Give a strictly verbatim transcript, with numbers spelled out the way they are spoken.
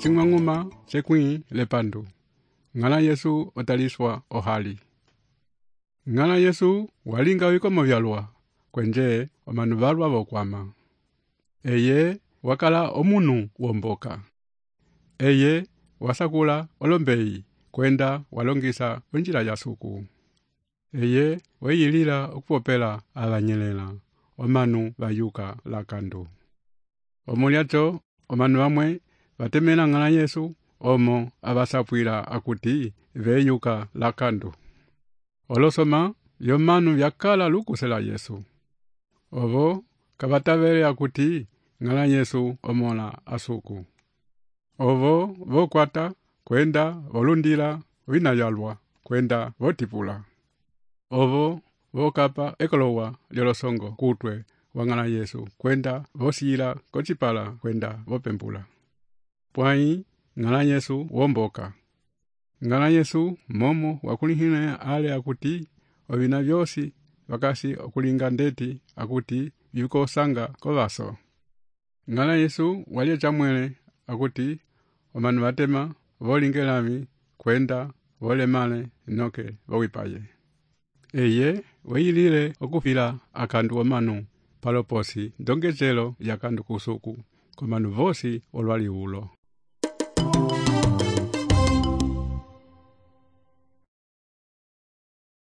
cing'ang'uma cekwĩ lepandu. Ng'ala Yesu otaliswa ohali. Ng'ala Yesu walinga wikomo vyalwa kwenje omanu valwa vokwama. Eye wakala omunu womboka. Eye wasakula olombei kwenda walongisa onjila ya suku. Eye weyilila okupopela alanyelela omanu bayuka lakandu. Omulyato omanu bamwe batemela ng'ala Yesu omo abasapwila akuti veyuka lakandu. Olosoma yomanu vyakala lukusela Yesu. Ovo kabatavele akuti ng'ala Yesu omola asuku. Ovo vokwata kwenda volundila wina yalwa kwenda votipula. Ovo vokapa ekolowa lyolosongo kutwe wa ng'ala Yesu kwenda vosila kochipala kwenda vopembula. Pwai ng'ala Yesu womboka. Ng'ala Yesu momo wakulihine ale akuti ovina vyosi vakasi okulinga ndeti akuti vikosanga kovaso. Ng'ala Yesu walye chamwele akuti omanu batema volingelami kwenda volemale noke vowipaye. Eye weyilile okufila akandu omanu paloposi ndongezelo yakandu kusuku komanu vosi olwali ulo.